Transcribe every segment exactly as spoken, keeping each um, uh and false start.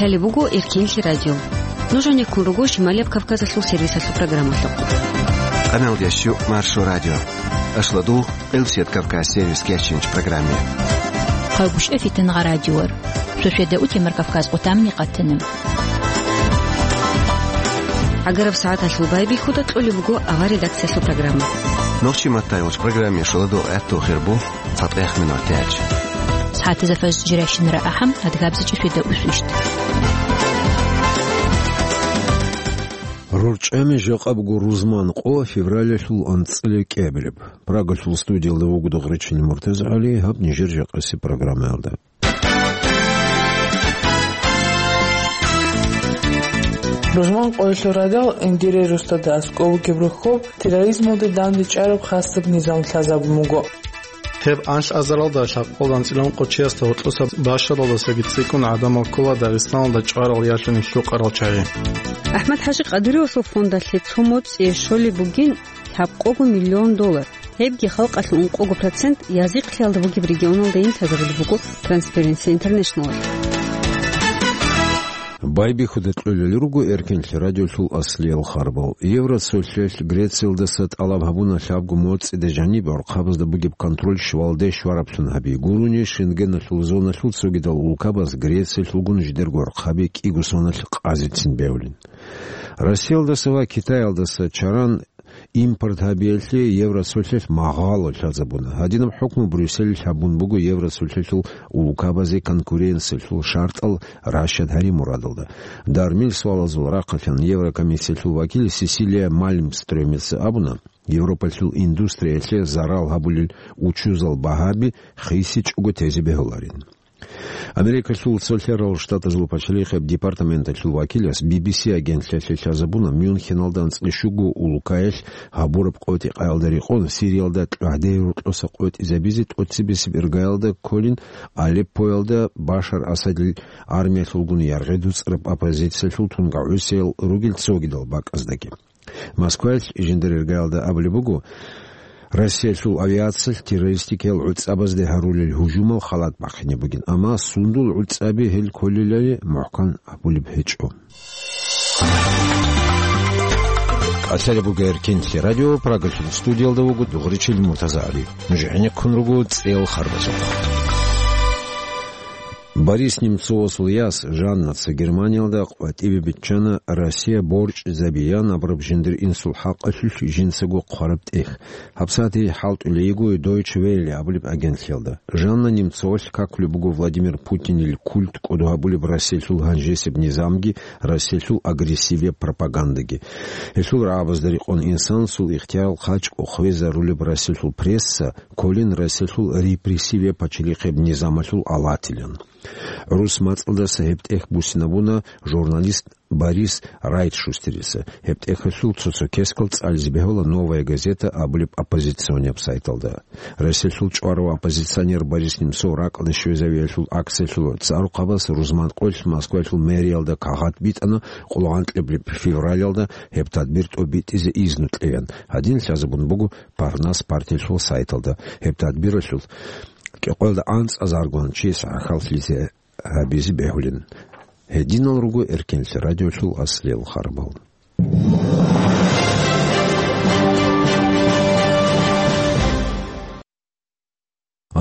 Лъалеб буго Эркенлъи радио. Нуж гьанеккун руго Шималияб Кавказалъул сервисалъул программалъухъ. Къаналдиящу Маршо радио. Ашладу Элсият Кавказ сервис кечинч программе. Хъагушев Фитнагъа радиор. Шошеда утемар Кавказ къутамни къатана. Агараб сагӀаталъул байбихьуда кьолеб буго авар редакциялъул программа. Нохчи маттайулч программе шоладо гӀатту хирбу. ЦатӀехъ минутач. СагӀатазда фажр жирайщинара ахӀам, адгабзичӀи феда усвищт. РорчӀами жакъа буго рузман къо февралалъул анцӀила кӀиабилеб. Прагалъул студиялда вуго Дугъричил МуртазагӀали, гьаб нижер жакъаси программаялда. Рузман къоялъул радал Эндирей Рустада аскӀов бугеб рохьоб терроризмалде дандечӀараб хасаб низам лъазабун буго. Гьеб анлъазаралда лъабкъоялда анцӀила ункъо чиясда гьоркьоса бащадалдасаги цӀикӀкӀун гӀадамал ккола Дагъистаналда чӀварал ялъуни лъукъарал чагӀи. АхӀмад-ХӀажи Къадыровасул фондалъе цо моцӀие щолеб бугин лъабкъого миллион доллар. Гьебги халкъалъул ункъого процент язихълъиялда бугеб регионалдайин лъазабулеб буго Transparency International-алъ. Байбихьуда кьолел руго Эркенлъи радиолъул аслиял харбал. Евросолъалъ Грециялдаса тӀалаб гьабуна лъабго моцӀида жаниб гӀурхъабазда бугеб контроль щвалде щвараблъун гьаби гурони, Шенгеналъул зоналъул цогидал улкабаз Грециялъулгун жидерго гӀурхъаби кӀиго соналъ къазецин бегьулин. Россиялдаса ва Китаялдаса чаран импорт гьабиялъе Евросолъалъ магъало лъазабуна. Гьадинаб хӀукму Брюсселалъ гьабун буго Евросолъалъул улкабазе конкуренциялъул шартӀал ращад гьари мурадалда. Дармил суалазул рахъалъан Еврокомиссиялъул вакил Сесилия Мальмстрёмица абуна, Европалъул индустриялъе зарал гьабулел учузал багьаби хисичӀого тезе бегьуларин. Америкалъул Цолъарал Штатазул пачалихъеб департаменталъул вакилас Би Би Си агентлъиялъе лъазабуна Мюнхеналда анцӀила щуго улкаялъ гьабураб къотӀи-къаялда рекъон Сириялда кьагьдей рокьоса къотӀизабизе тӀоцебесеб иргаялда кколин Алеппоялда Башар Асадил армиялъулгун яргъи дуцӀараб оппозициялъул тунгагӀусиял ругел цогидал бакӀаздаги. Москваялъ жиндир иргаялда абулеб буго, Россиялъул авиациялъ террористикиял гӀуцӀабазде гьарулел гьужумал халат бахъине бугин, амма сундул гӀуцӀаби гьел кколелали мухӀкан абулеб гьечӀо. Лъалеб буго Эркенлъи радио, Прагалъул студиялда вуго Дугъричил МуртазагӀали. Нуж гӀенеккун руго цӀел харбазухъ. Борис Немцовасул яс Жаннаца Германиялда къватӀибе биччана Россия борчӀизабеян абураб жиндир инсул хӀакъалъулъ жинцаго хъвараб тӀехь. ГьабсагӀат гьей хӀалтӀулей йиго Deutsche Welle абулеб агентлъиялда. Жанна Немцовалъ какулеб буго Владимир Путинил культ кӀодо гьабулеб Россиялъул гьанжесеб низамги, Россиялъул агрессивияб пропагандаги. Гьелъул рагӀабазда рекъон инсанасул ихтиярал хъачӀго хвезарулеб Россиялъул пресса, кколин Россиялъул репрессивияб пачалихъеб низамалъул алатилан. ГӀурус мацӀалдаса гьеб тӀехь буссинабуна журналист Борис Райтшустерица. Гьеб тӀехьалъул цо-цо кескал цӀализе бегьула «Новая газета» абулеб оппозиционияб сайталда. Россиялъул чӀварав оппозиционер Борис Немцов ракӀалде щвезавиялъул акциялъул цӀарухъабаз рузман къоялъ Москваялъул мэриялда кагъат битӀана къулгъанкьаблъи февралалда гьеб тадбир тӀобитӀизе изну кьеян. Гьадин лъазабун буго «Парнас» партиялъул сайталда. Гьеб тадбиралъул кӀикъоялда анцӀазаргун чи сахӀаллъизе гьабизе бегьулин. Гьединал руго Эркенлъи радиолъул аслиял харбал.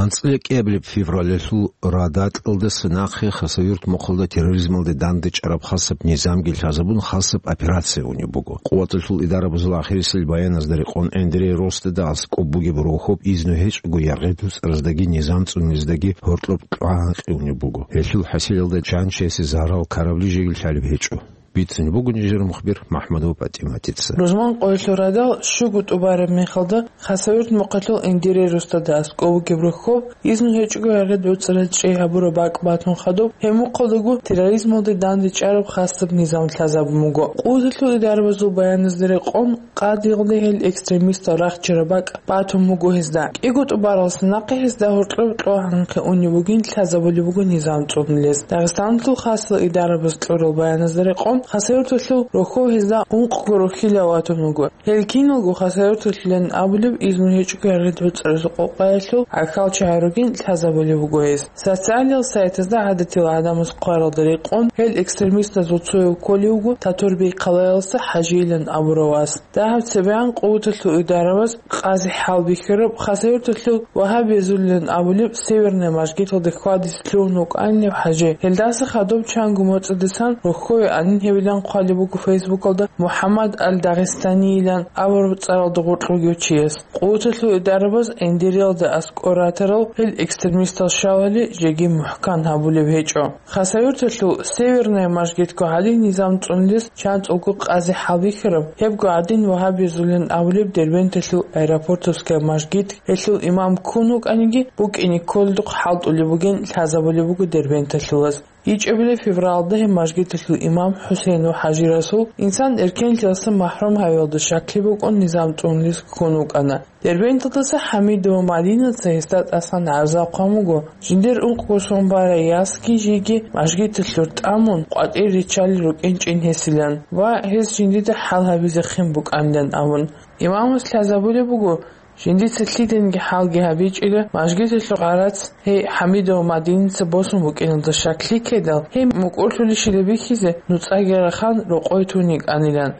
АнцӀила кӀиабилеб февралалъул радатӀалдаса нахъе Хасавюрт мухъалда терроризмалде дандечӀараб хасаб низамги лъазабун хасаб операция унеб буго. Къуваталъул идарабазул ахирисел баяназда рекъон Эндирей Ростада аскӀоб бугеб рохьоб изну гьечӀого яргъи дуцӀараздаги низам цӀуниздаги гьоркьоб кьвагьанкъи унеб буго. Гьелъул хӀасилалда чан чиясе зарал ккарабли жеги лъалеб гьечӀо. Бицунеб буго нижер мухбир МахӀмудова ПатӀиматица. Рузман къоялъул радал щуго тӀубараб мехалда Хасавюрт мухъалъул Эндирей Рустада аскӀов вугеб рохьоб, изну гьечӀого яргъи дуцӀараз чӀей гьабураб бакӀ батун хадуб, гьеб мухъалдаго терроризмалде дандечӀараб хасаб низам лъазабун буго. Къуваталъул идарабазул баяназда рекъон, къадиялде гьел экстремистал рахчараб бакӀ батун буго гьезда. КӀиго тӀубаралдаса нахъе гьезда гьоркьоб кьвагьанхъе унеб бугин лъазабулеб буго низам цӀунулез. Дагъистаналъул хасал идарабаз кьурал баяназда рекъон, Хасавюрталъул рохьов гьезда ункъго рохьилав ватун вуго. Гьел киналго Хасавюрталъулин абулеб изну гьечӀого гьаргьид гӀуцӀаразул къокъаялъул гӀахьалчагӀи ругин лъазабулеб буго гьез. Социалиял сайтазда гӀадатил гӀадамаз хъваралда рекъон, гьел экстремистазул цояв кколев вуго Татурбей хъалаялдаса ХӀажийилан абурав вас. Дагьаб цебегӀан къуваталъул идарабаз къази хӀалбихьараб Хасавюрталъул вагьабиязулилан абулеб Северная мажгиталда хьвадизе лъугьун вукӀанилев ХӀажи. Гьелдаса хадуб чанго моцӀидасан рохьове анин гьевилан хъвалеб буго Фейсбукалда МухӀаммад аль-Дагъистанийилан абураб цӀаралда гъоркь вугев чияс. Къуваталъул идарабаз Эндириялда аскӀор ратарал гьел экстремистал щалали жеги мухӀкан гьабулеб гьечӀо. Хасавюрталъул Северная мажгитго гьалин низам цӀунулес чанцӀулго къази хӀалбихьараб, гьебго гӀадин вагьабиязулин абулеб Дербенталъул Аэропортовская мажгит, гьелъул имам ккун вукӀаниги, букӀине кколдухъ хӀалтӀулеб бугин лъазабулеб буго дербенталъулаз. ИчӀабилеб февралда гьеб мажгиталъул имам ХӀусейнов ХӀажи Расул инсан эркенлъиялдаса махӀрум гьавиялда щаклъи букӀун низам цӀунулес ккун вукӀана. Дербенталдаса ХӀамидова Мадинаца гьесда тӀасан гӀарзал хъван буго, жиндир ункъго сон барай ясги жеги мажгиталъур тӀамун къватӀир риччалел рукӀинчӀин гьесилан ва гьес жиндида хӀал гьабизехъин букӀанилан абун. Имамас лъазабулеб буго, жиндица лъиданиги хӀалги гьабичӀила, мажгиталъул гӀарац гьей ХӀамидова Мадинаца босун букӀиналда щаклъи ккедал, гьей мукӀурлъулищила бихьизе нуцӀаги рахан рокъой тун йикӀанилан.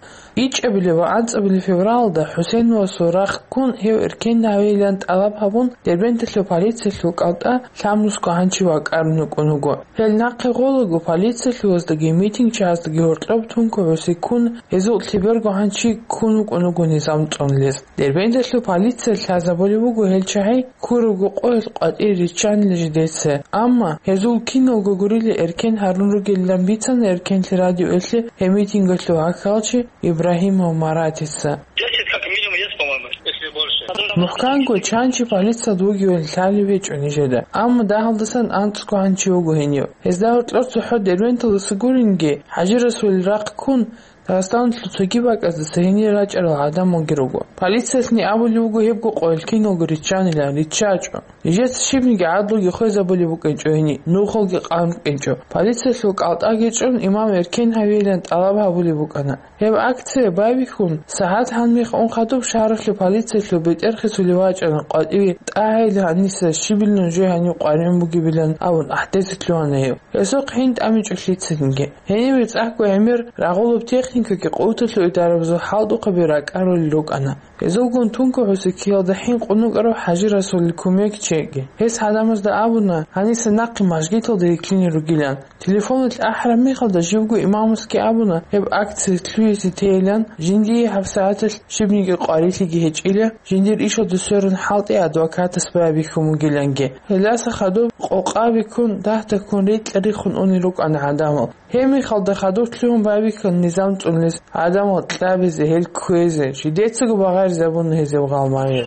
ИчӀабилеб ва анцӀабилеб февралда ХӀусейновасул рахъ ккун гьев эркен гьавейилан тӀалаб гьабун, Дербенталъул полициялъул кӀалтӀа лъабнусго гьанчи вакӀарун вукӀун вуго. Гьел нахъе гъолаго полициялъулаздаги митингчагӀаздаги гьоркьоб тункогӀуси ккун, гьезул лъеберго гьанчи ккун вукӀун вуго низам цӀунулес. Дербенталъул полиция лъазабулеб буго гьел чагӀи ккурабго къоялъ къватӀире риччанила жидеца. Амма гьезул киналго гурила эркен гьарун ругелилан бицана эркенлъи радиоялъе гьеб митингалъул гӀахьалчи Ибрагьимов Маратица. Десять как минимум есть, по-моему, если больше. МухӀканго чанчи полициялда вугевали лъалеб гьечӀо нижеда. Амма дагьалдасан анцӀго гьанчи вуго гьенив. Гьезда гьоркьор цохӀо Дербенталдаса гуринги, ХӀажи Расулил рахъ ккун, Дагъистаналъул цоги бакӀаздаса гьенир рачӀарал гӀадамалги руго. Полициялъни абулеб буго гьебго къоялъ киналго риччанилан, риччачӀо. Нижеца щибниги гӀадлуги хвезабулеб букӀинчӀо гьениб, нухалги къан букӀинчӀо. Полициялъул кӀалтӀаги чӀун имам эркен гьавейилан тӀалаб гьабулеб букӀана. Гьеб акция байбихьун, сагӀат гьанмихъ ун хадуб шагьаралъул полициялъул бетӀер хисулев вачӀана къватӀиве тӀагӀейилан гьаниса щибилан жо гьанив къваригӀун бугебилан абун ахӀдезе лъугьана гьев. Гьесухъ гьин тӀамичӀо лъицаниги. Гьениб цӀакъго гӀемер рагъулаб техникаги къуваталъул идарабазул хӀалтӀухъаби ракӀарулел рукӀана. Гьезулгун тункогӀуси ккиялда хӀинкъун вукӀарав ХӀажи Расулил кумекчиги. Гьес гӀадамазда абуна, гьаниса нахъе мажгиталда йикълъине ругилан. Телефоналъ ахӀараб мехалда живго имамасги абуна, гьеб акция лъугьизе тейилан, жиндие гьабсагӀаталъ щибниги къварилъиги гьечӀила, жиндир ишалда сверун хӀалтӀи адвокатас байбихьун вугиланги. Гьелдаса хадуб къокъаби ккун, дагьдаккун рекьа риххун унел рукӀана гӀадамал. Гьеб мехалда хадур лъугьун байбихьана низам цӀунулес, гӀадамал кьабизе, гьел кквезе, жидецаго багъаризабуна гьезул гъалмагъи.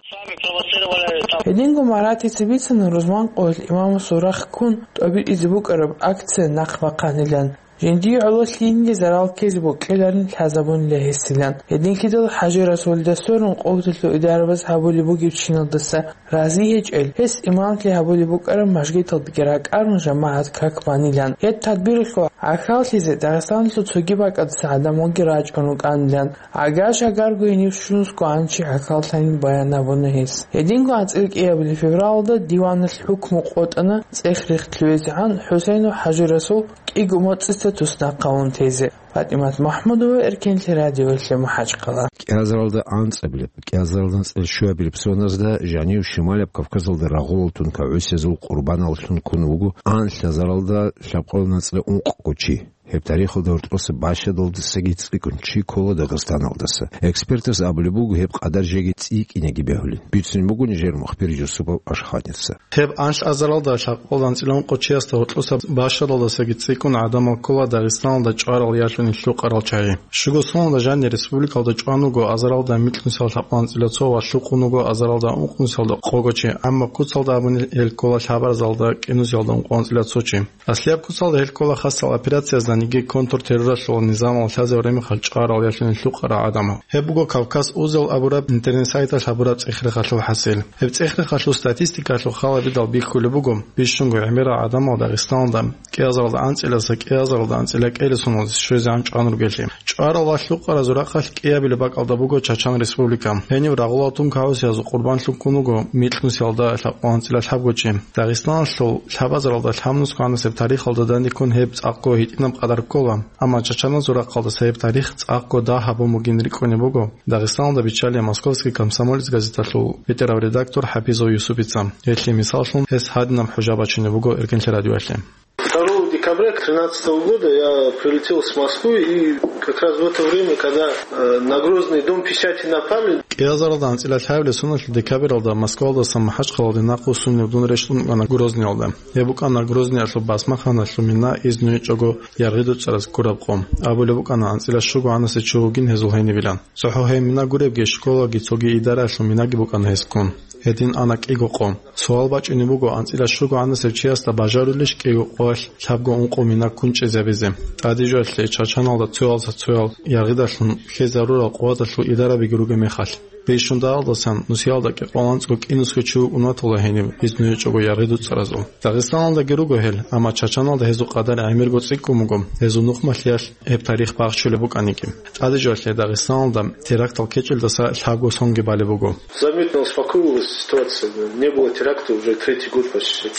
Гьединго Маратица бицана рузман къоялъ имамасул рахъ ккун тӀобитӀизе букӀараб акция нахъ бахъанилан. Жиндие гӀоло лъиениги зарал ккезе бокьиларин лъазабунила гьесилан. Гьединлъидал ХӀажи Расулида сверун къуваталъул идарабаз гьабулеб бугеб чиналдаса рази гьечӀел, гьес имамлъи гьабулеб букӀараб мажгиталдаги ракӀарун жамагӀат как банилан. Гьеб тадбиралъул гӀахьаллъизе Дагъистаналъул цоги бакӀаздаса гӀадамалги рачӀун рукӀанилан. Агар-шагарго гьенив щунусго гьанчи гӀахьаллъанин баян гьабуна гьес. Гьединго анцӀила кӀиабилеб февралда диваналъ хӀукму къотӀана цӀех рихтӀлъугӀизегӀан ХӀусейнов ХӀажи Расул кӀиго моцӀица туснахъ гьавун тезе. ПатӀимат МахӀмудова, Эркенлъи радиоялъе, МахӀачхъала. КӀиазаралда анцӀабилеб, кӀиазаралда анцӀила щуабилеб соназда жанив Шималаб Кавказалда рагъулал тункагӀусиязул къурбаналлъун ккун вуго анлъазаралда лъабкъоялда анцӀила ункъго чи. Гьеб тарихалда гьоркьоса бащадалдасаги цӀикӀкӀун чи ккола Дагъистаналдаса. Экспертаз абулеб буго, гьеб къадар жеги цӀикӀкӀинеги бегьулин. Бицунеб буго нижер мухбир Юсупов Ашханица. Гьеб анлъазаралда лъабкъоялда анцӀила ункъо чиясда гьоркьоса бащадалдасаги цӀикӀкӀун гӀадамал ккола Дагъистаналда чӀварал ялъуни лъукъарал чагӀи. Щуго соналда жанир республикалда чӀван вуго азаралда микьнусиялда лъабкъоялда анцӀила цо ва лъукъун вуго азаралда ункънусиялда къого чи, амма куцалда абуни гьел ккола лъабарзалда кӀинусиялда ункъоялда анцӀила цо чи. Аслияб куцалда гьел ккола хасал операциязда Гьебги контртерроралъул низамал лъазаб ремехалъ чӀварал ялъуни лъукъарал гӀадамал. Гьеб буго Кавказ узел абураб интернет-сайталъ гьабураб цӀех-рехалъул хӀасил. Гьеб цӀех-рехалъул статистикалъул халабидал бихьулеб буго, бищунго гӀемерал гӀадамал Дагъисталда кӀиазаралда анцӀила, кӀиазаралда анцӀила кӀелесуналде щвезе гӀан чӀван ругелъи. ЧӀварал ва лъукъарал зурахъалъ кӀиабилеб бакӀалда буго Чачан Республика. Гьенив рагъулал тункагӀусиязул къурбанлъун ккун вуго микьнусиялда лъабкъоялда анцӀила лъабго чи. Дагъисталъул лъабазаралда лъабнусго гӀанасеб тарихалда данде ккун гьеб цӀакъго гьитӀинаб къадар ккола, амма чачаназул рахъалдаса гьеб тарих цӀакъго дагь гьабун бугин рикӀкӀунеб буго Дагъисталда биччалев «Московский комсомолец» газеталъул бетӀерав редактор ХӀапизов Юсупица. Гьелъие мисаллъун гьес гьадинаб хӀужа бачунеб буго Эркенлъи радиоялъе. Второго декабря тринадцатого года я прилетел с Москвы, и как раз в это время, когда, э, на Грозный дом печати напали. КӀиазаралда анцӀила лъабилеб соналъул декабралда Москвалдаса МахӀачхъалалде нахъвуссунев дун рещтӀун вукӀана Грозниялда. Гьеб букӀана Грозниялъул басмахъаналъул мина изну гьечӀого Яргъи ДуцӀараз ккураб къо. Абулеб букӀана, анцӀила щуго гӀанасев чи вугин гьезул гьенибилан. ЦохӀо гьеб мина гуребги, школаги цоги идараялъул минаги букӀана гьез ккун. Гьедин ана кӀиго къо. Суал бачӀунеб буго, анцӀила щуго гӀанасев чиясда бажарулищ кӀиго къоялъ лъабго-ункъо мина ккун чӀезабизе? ТӀадежалъе Чачаналда цоялдаса цоял яргъидалъун ккезарурал къуваталъул идарабиги ругеб мехалъ. Бищун дагьалдасан нусиялда кӀикъоялда анцӀго кӀинусго чи вукӀун ватула гьениб, изну гьечӀого Яргъи ДуцӀаразул. Дагъистаналдаги руго гьел, амма Чачаналда гьезул къадар гӀемерго цӀикӀкӀун буго, гьезул нухмалъиялъ гьеб тарих бахчулеб букӀаниги. ТӀадежалъе Дагъистаналда терактал ккечӀелдаса лъабго сонги балеб буго. Заметно успокоилась ситуация. Не было теракта уже третий год почти.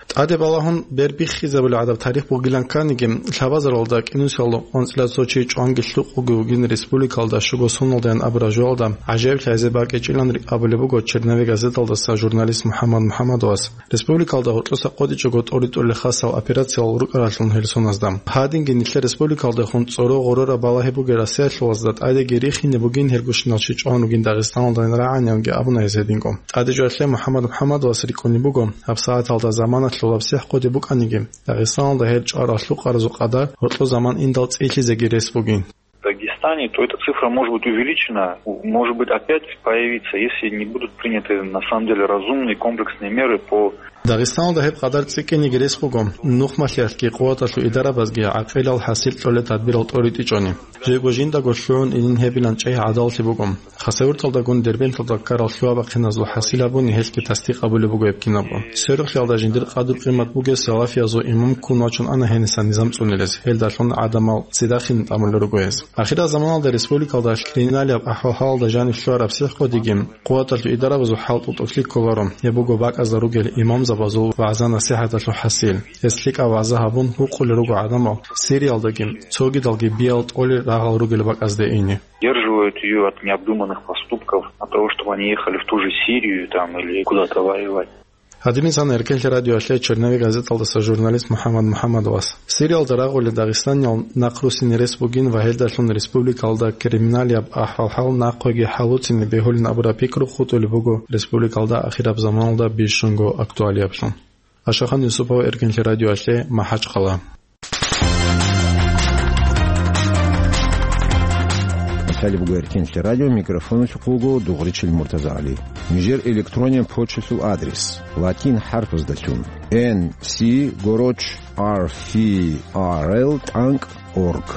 ТӀаде балагьун бер биххизабулеб гӀадаб тарих бугилан кканиги, лъабазаралда кӀинусиялда анцӀила цо чи чӀванги лъукъги вугин республикалда щуго соналдаян абураб жоялда гӀажаиблъи гьезе бакӀичӀилан абулеб буго «Черновик» газеталдаса журналист МухӀаммад МухӀаммадовас. Республикалда гьоркьоса къотӀичӀого тӀоритӀулел хасал операциял рукӀаралъун гьел соназда. Гьадинги нилъер республикалдехун цӀоро гъорораб балагьи бугел россиялъулазда тӀадеги рихине бугин гьелгощинал чи чӀван ругин Дагъистаналдайин рагӀаниланги абуна гьез гьединго. ТӀадежалъе МухӀаммад МухӀаммадовас рикӀкӀунеб буго, гьабсагӀаталда заманалъул гьабсихӀ хъуде букӀаниги, Дагъистаналда гьел чӀварал лъукъаразул къадар гьоркьо заман индал цӀилъизеги рес бугин. В Дагестане, то эта цифра может быть увеличена, может быть опять появиться, если не будут приняты на самом деле разумные комплексные меры по Дагъистаналда гьеб къадар цӀикӀкӀиниги рес буго, нухмалъиялъги къуваталъул идарабазги гӀакъилал хӀасил кьолел тадбирал тӀоритӀичӀони. Жего жиндаго лъугӀун илин гьебилан чӀей гӀадаллъи буго. Хасавюрталдагун Дербенталда ккарал лъугьа-бахъиназул хӀасил гьабуни гьелъги тасдикъ абулеб буго гьеб кинабго. Сверухълъиялда жиндир къадру-къимат бугес салафиязул имам ккун вачун ана гьениса низам цӀунилез, гьелдалъун гӀадамал цӀидахъин тӀамулел руго гьез. Ахирал заманалда республикалда криминалияб ахӀвал-гьалалда жаниб лъугьараб сихӀкъодиги, къуваталъул идарабазул хӀалтӀу тӀокӀлъи кколаро, гьеб буго бакӀазда ругел имамзабазул вагӀза-насихӀаталъул хӀасил. Гьес лъикӀаб вагӀза гьабун гьукъулел руго гӀадамал Сириялдаги, цогидалги биял тӀолел рагъал ругел бакӀазде ине. Удерживают её от необдуманных поступков, от того, чтобы они ехали в ту же Сирию там или куда-то воевать. Гьадинаб мисал Эркенлъи радиоялъе «Черновик» газеталдаса журналист МухӀаммад МухӀаммадовас. Сириялда рагъулел дагъистаниял нахъруссине рес бугин ва гьелдалъун республикалда криминалияб ахӀвал-гьал нахъеги хӀалуцине бегьулин абураб пикру хутӀулеб буго республикалда ахираб заманалда бищунго актуалиаблъун. Ашахан Юсупов, Эркенлъи радиоялъе, МахӀачхъала. Талиб Гуэркенлъи радио микрофоналъухъ вуго Дугъричил МуртазагӀали. Нижер электронен почталъул адрес: латин хӀарпаздалъун: Н С гороч R F R L тӀанкӀ орг.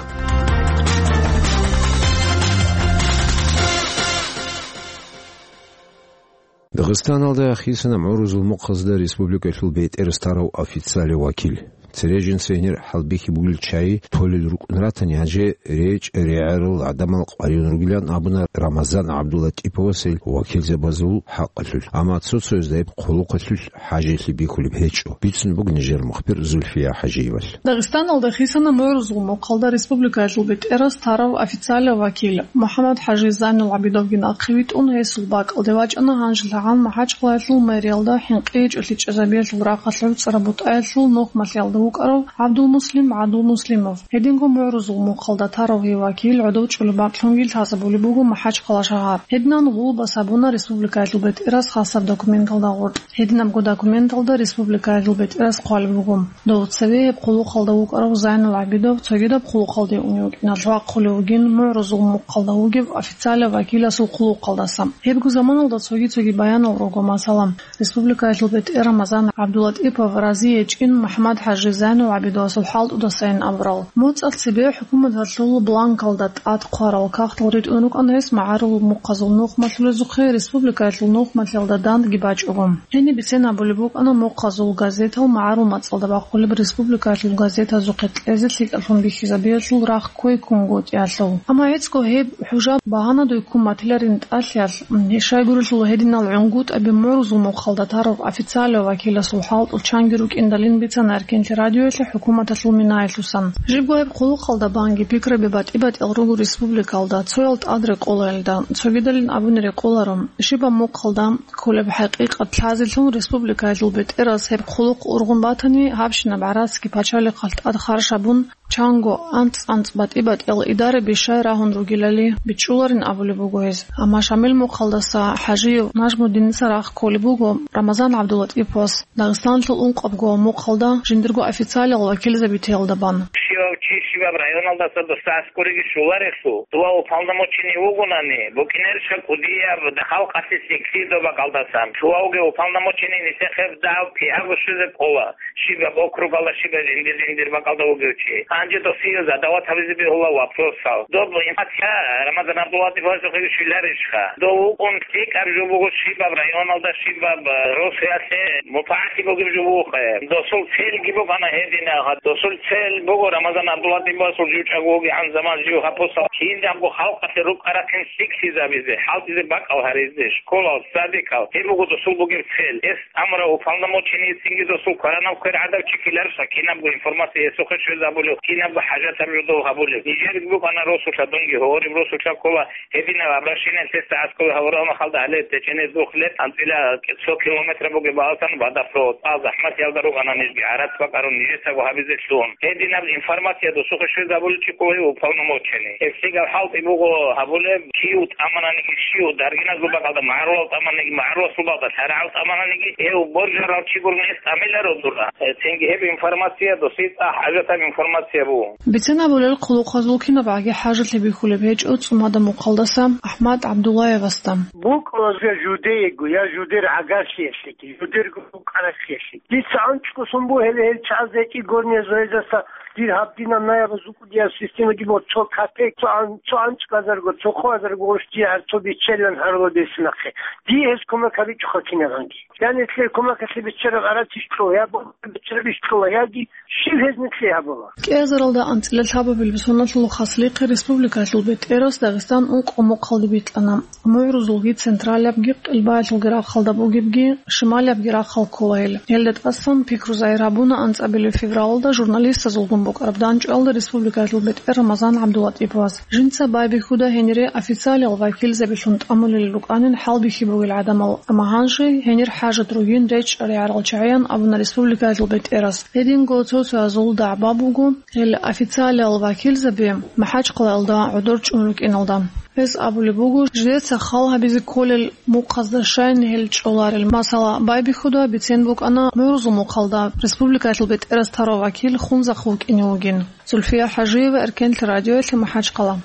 Дагъистаналда хисана мугӀрузул мухъазда республикалъул бетӀерас тарав официалев вакил. Цере жинца гьенир хӀалбихьи бугел чагӀи толел рукӀун ратани, гьанже речӀ-регӀерал гӀадамал къваригӀун ругилан абуна Рамазан ГӀабдуллатӀиповас гьел вакилзабазул хӀакъалъулъ, амма цо-цояз гьеб хъулухъалъулъ хӀажиялъе бихьулеб гьечӀо, бицун буго нижер мухбир Зульфия ХӀажиевалъ. Дагъистаналда хисана мугӀрузул мухъалда республикаялъул бетӀерас тарав официалав вакил МухӀаммад-ХӀажи Зайнул ГӀабидовги нахъе витӀун, гьесул бакӀалде вачӀана гьанжелъагӀан МахӀачхъалаялъул мэриялда хӀинкъи гьечӀолъи чӀезабиялъул рахъалъ гӀуцӀраб бутӀаялъул нухмалъиялда вукӀарав ГӀабдулмуслим ГӀадулмуслимов. Гьединго мугӀрузул мухъалда тарав гьев вакил гӀодов чӀолеб бакълъунги лъазабулеб буго МахӀачхъала шагьар. Гьединан гъулбас гьабуна республикаялъул бетӀерас хасаб документалда гъоркь. Гьединабго документалда республикаялъул бетӀерас хъвалеб буго: дов цеве гьеб хъулухъалда вукӀарав Зайнул ГӀабидов цогидаб хъулухъалде унев вукӀиналъ вахъулев вугин мугӀрузул мухъалда вугев официалав вакиласул хъулухъалдаса. Гьебго заманалда цоги-цоги баянал руго, масала, республикаялъул бетӀер Рамазан ГӀабдуллатӀипов рази гьечӀин МухӀаммад-ХӀажи Зайнул ГӀабидовасул хӀалтӀудасайин абурал. МоцӀалъ цебе хӀукуматалъул бланкалда тӀад хъварал кагътал ритӀун рукӀана гьес магӀарул мухъазул нухмалъулезухъе республикаялъул нухмалъиялда дандги бачӀого. Гьениб бицен абулеб букӀана мухъазул газетал магӀарул мацӀалда бахъулеб республикаялъул газетазухъе кьезе лъикӀаллъун бихьизабиялъул рахъ кквей ккунгутӀиялъул. Амма гьецӀго гьеб хӀужа багьанадуй ккун батиларин тӀалъиялъ, щайгурелъул гьединал гӀунгутӀаби мугӀрузул мухъалда тарав официалияв вакиласул хӀалтӀул чанги рукӀиндалин бицана Эркенлъи радиоялъе хӀукуматалъул минаялъусан. Жибго гьеб хъулухъалда банги пикраби батӀи-батӀиял руго республикалда, цоял тӀад рекъолаялда, цогидалин абуни рекъоларо, щибаб мухъалда кколеб хӀакъикъат лъазелъул республикаялъул бетӀерас гьеб хъулухъ ургъун батани, гьабщинаб гӀарацги пачалихъалъ тӀад харж гьабун, чанго анцӀ-анцӀ батӀи-батӀиял идараби щай рагьун ругелали бичӀчӀуларин абулеб буго гьез. Амма Шамил мухъалдаса ХӀажиев Нажмудиница рахъ кколеб буго Рамазан ГӀабдулатӀиповас Дагъистаналъул ункъабго мухъалда жиндирго официалиял вакилзабитеялда бан. Щивав чи щибаб районалдаса досда аскӀориги щоларелъул, дова уполномоченный вугонани, букӀинарищха кӀудияб халкъалъе лъикӀлъи доба бакӀалдасан. Щулавги уполномоченный нилъехъе дагьаб кигьабго щвезе кӀола. Щибаб округалда, щибаб жиндир-жиндир бакӀалда вугев чи. Гьанже досие задават гьабизе бегьула вопросал. Доб информация Рамазан ГӀабдулатӀиповасухъе щвеларищха? Дов вукӀун лъикӀаб жо буго щибаб районалда, щибаб, э, росуялъе мутагӀалим бугеб жо бугохъе. Досул цельги букӀана гьединаб. Досул цель буго Рамазан ГӀабдулатӀиповасул жучӀаго вугегӀан заман жив гьабусал кинабго халкъалъе рукӀа-рахъин лъикӀлъизабизе, хӀалтӀизе бакӀал гьаризе, школал, садикал. Гьеб буго досул бугеб цель. Гьес амра уполномоченный цинги досул кваранаб квер гӀадаб чи ккеларищха кинабго информация гьесухъе щвезабулев, кинабго хӀажатаб жо дов гьабулев. Нижерги букӀана росулъа, дунги гьориб росулъа ккола гьединаб обращение, лъесда аскӀове гьавурал махалда гьале течӀене духлеб анцӀила цо километр бугеб баласан водопровод. А, захӀматиялда рукӀана нижги, гӀарац бакӀарун нижецаго гьабизе лъугьун. Гьединаб информация досухъе щвезабулев чи ккола уполномоченный. Гьеб лъикӀаб хӀалтӀи буго гьабулеб, кив тӀамананиги щив, даргиназул бакӀалда магӀарулал тӀамананиги магӀаруласул бакӀалда, лъарагӀав тӀамананиги, гьев боржарав чи гурони гьес тӀамиларо дура. Э, цинги гьеб информация досие цӀакъ хӀажатаб информация буго. Бицен абулел хъулухъазул кинабгӀаги хӀажалъи бихьулеб гьечӀо ЦӀумада мухъалдаса АхӀмад ГӀабдуллаевасда. БукӀуна я жудеего, я жудер гӀагарлъиялъеги, жудерго букӀарахъиялъеги. Дица анцӀго сон буго гьеле гьел чагӀаз гьечӀи горния зоязаса дир гьаб динаб наябаз букӀудияб системаги буго, цо капек, цо ан-, цо анцӀго азарго, цо хъо азарго гъош дие гьар цо биччалилан гьарулеб гьесул нахъе. Дие гьес кумек гьабичӀоха кинабгӀанги. Я нилъер кумекалъе биччараб гӀарац ищ кьола, я боржараб биччараб ищ кьола, яги щив гьез нилъее гьабула. КӀиазаралда анцӀила лъабабилеб соналъул хаслихъе республикалъул бетӀерас Дагъистан ункъо мухъалде бикьана. МугӀрузулги, централиябги, къилбаялъулги рахъалда бугебги, шималиябги рахъал ккола гьел. Гьелда тӀасан пикру загьир гьабуна анцӀабилеб февралалда журналистазулгун букӀараб дандчӀвалда республикалъул бетӀер Рамазан ГӀабдулатӀиповас. Жинца байбихьуда гьенире официалиял вакилзабилъун тӀамулел рукӀанин хӀалбихьи бугел гӀадамал, амма гьанже гьенир хӀажат ругин речӀчӀаригӀарал чагӀиян абуна республикаялъул бетӀерас. Гьединго цо-цоязул дагӀба буго, гьел официалиял вакилзаби МахӀачхъалаялда гӀодор чӀун рукӀиналда. Гьес абулеб буго, жидеца хал гьабизе кколел мухъазда щайин гьел чӀоларел. Масала, байбихьуда бицен букӀана мугӀрузул мухъалда республикаялъул бетӀерас тарав вакил Хунзахъ вукӀине вугин. Зульфия ХӀажиева, Эркенлъ радиоялъе, МахӀачхъала.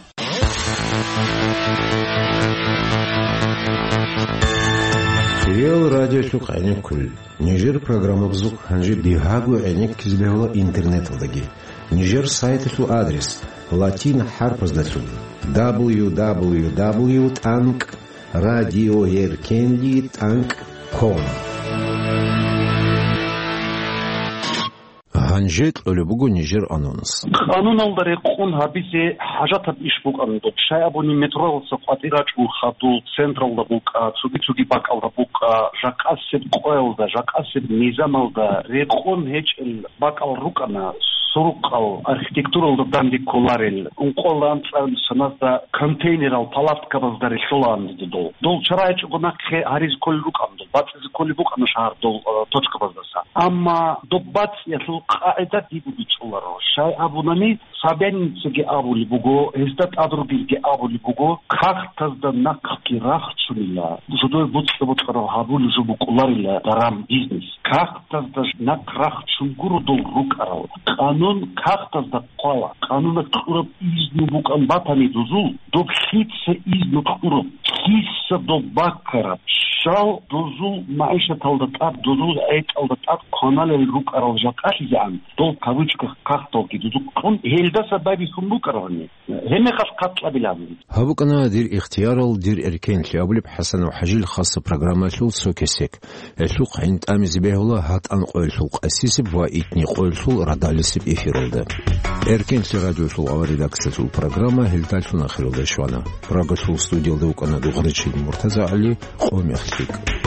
Реал радиолъухъ гӀенеккулел. Нижер программабазухъ гьанже бигьаго гӀенеккизе бегьула интернеталдаги. Нижер сайталъул адрес латин хӀарпаздалъун: дабл ю дабл ю дабл ю тӀанкӀ радиоеркенли тӀанкӀ ком. Гьанже кьолеб буго нижер анонс. Къануналда рекъон гьабизе хӀажатаб иш букӀана доб. Щай абуни метродаса къватӀир рачӀун хадуб, централда букӀа, цоги-цоги бакӀалда букӀа, жакъасеб къоялда, жакъасеб низамалда рекъон гьечӀел бакӀал рукӀана, сурукъал архитектуралда данде кколарел, ункъоялда анцӀабилеб соназда контейнерал палаткабазда релълъулаан дидул. Дол чара гьечӀого нахъе гьаризе кколел рукӀана дол, бацӀизе кколеб букӀана шагьар дол, э, точкабаздаса. Амма доб бацӀиялъул къагӀида дибу бицӀуларо. Щай абунани, Собяниницаги абулеб буго, гьезда тӀад ругелги абулеб буго, кагътазда нахъги рахчунила, жидее бокьа-бокьараб гьабулеб жо букӀуларила даран, бизнес. Кагътазда нахъ рахчун гуро дол рукӀарал. Къанун кагътазда хъвала. Къануна кьураб изну букӀан батани дозул, доб лъица изну кьураб, лъица доб баккараб, щал дозул магӀишаталда тӀад, дозул гӀетӀалда тӀад кваналел рукӀарал жакъалъизегӀан, дол кавычках кагъталги дозул кьун, гьелдаса байбихьун букӀарабани. Гьебмехалъ хъат кьабилан. Гьаб букӀана «Дир ихтиярал, дир эркенлъи» абулеб ХӀасанов ХӀажил хасса программаялъул цо кесек. Гьелъухъ гӀин тӀамизе бегьула гьатӀан къоялъул къасисеб ва итни къоялъул радалисеб эфиралда. Эркенлъи радиолъул авар редакциялъул программа гьелдалъун ахиралде щвана. Прагалъул студиялда вукӀана Дугъричил МуртазагӀали, къо мех лъикӀ.